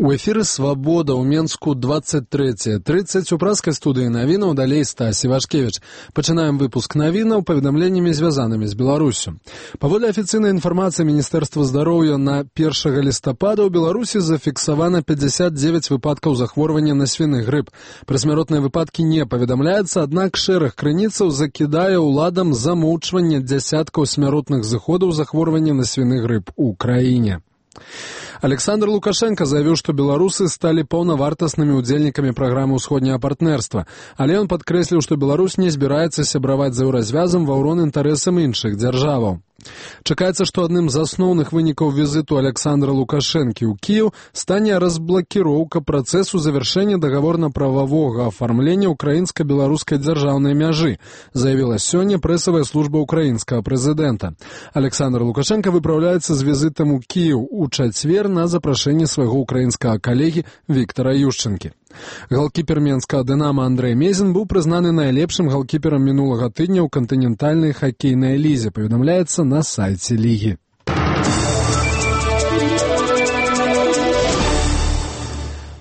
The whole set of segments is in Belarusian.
У эфіры «Свабода» ў Менску 23:30 у праскай студыі навінаў, далей Стась Івашкевіч. Пачынаем выпуск навінаў паведамленнямі, звязанымі з Беларусю. Паводле афіцыйнай інфармацыі Міністэрства здароўя, на 1 лістапада ў Беларусі зафіксавана 59 выпадкаў захворвання на свіны грып. Пра смяротныя выпадкі не паведамляецца, аднак шэраг крыніцаў закідае ўладам замоўчванне дзясяткаў смяротных зыходаў захворвання на свіны грып у краіне. Александр Лукашенко заявіў, што беларусы сталі паўнавартаснымі удзельнікамі праграмы ўсходняга партнерства, але ён падкрэсліў, што Беларусь не збіраецца сябраваць з еўразвязам ва ўрон інтарэсам іншых дзяржаваў. Чакаецца, што адным з асноўных вынікаў візіту Александра Лукашэнкі ў Кіеў стане разблакіроўка працэсу завяршэння дагаворна-прававога афармлення украінска-беларускай дзяржаўнай мяжы, заявіла сёння прэсавая служба украінскага прэзідэнта. Александр Лукашенко выпраўляецца з візітам у Кіеў у чацвер на запрашэнне свайго украінскага калегі Віктара Ющэнкі. Галкіпер менскага «Дынама» Андрэй Мезін быў прызнаны найлепшым галкіперам мінулага тыдня ў кантынентальнай хакейнай лізе, паведамляецца на сайце лігі.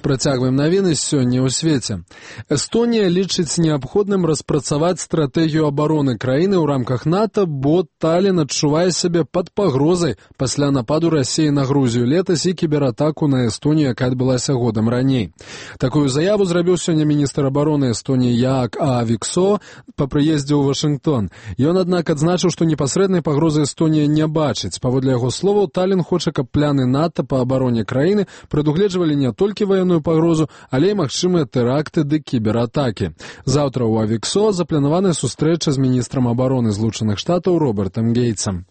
Працягваем навіны сёння ў свеце. Эстонія лічыць неабходным распрацаваць стратэгію абароны краіны ў рамках НАТО, бо Таллін адчувае сябе пад пагрозай пасля нападу Расіі на Грузію летась і кібератаку на Эстонію, якая адбылася годам раней. Такую заяву зрабіў сёння міністр абароны Эстоніі Яак Aaviksoo па прыездзе ў Вашынгтон. Ён, аднак, адзначыў, што непасрэднай пагрозы Эстонія не бачыць. Паводле яго словаў, Таллін хоча, каб пляны НАТО па абароне краіны прадугледжвалі не толькі ваенную пагрозу, але і магчымыя тэракты ды кібератакі. Заўтра ў Aaviksoo запланавана сустрэча з міністрам абароны Злучаных Штатаў Робертам Гейтсам.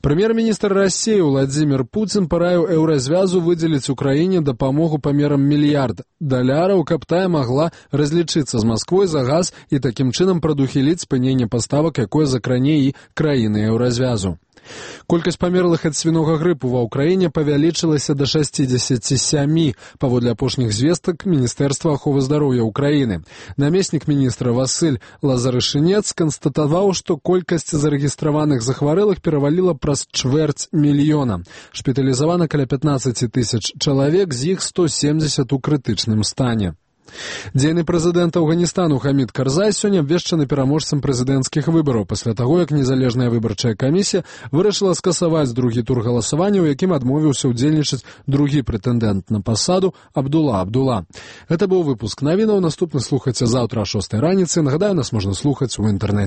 Прэм'ер-міністр Расіі Владзімір Пуцін параіў еўразвязу выдзеліць Украіне дапамогу памерам $1 мільярд, каб тая магла разлічыцца з Масквой за газ і такім чынам прадухіліць спыненне паставак, якое закране і краіны еўразвязу. Колькасць памерлых ад свінога грыпу ва ўкраіне павялічылася да 67, паводле апошніх звестак Міністэрства аховы здароўя ўкраіны. Намеснік міністра Васыль Лазарышынец канстатаваў, што колькасць зарэгістраваных захварэлых пераваліла праз 250 000. Шпіталізавана каля 15 000 чалавек, з іх 170 у крытычным стане. Дзейны прэзідэнт Афганістану Хамід Карзай сёння абвешчаны пераможцам прэзідэнцкіх выбараў пасля таго, як незалежная выбарчая камісія вырашыла скасаваць другі тур галасавання, у якім адмовіўся ўдзельнічаць другі прэтэндэнт на пасаду Абдула Абдула. Гэта быў выпуск навінаў. Наступны слухайце заўтра о 6 раніцы. Нагадаю, нас можна слухаць у інтэрнэце.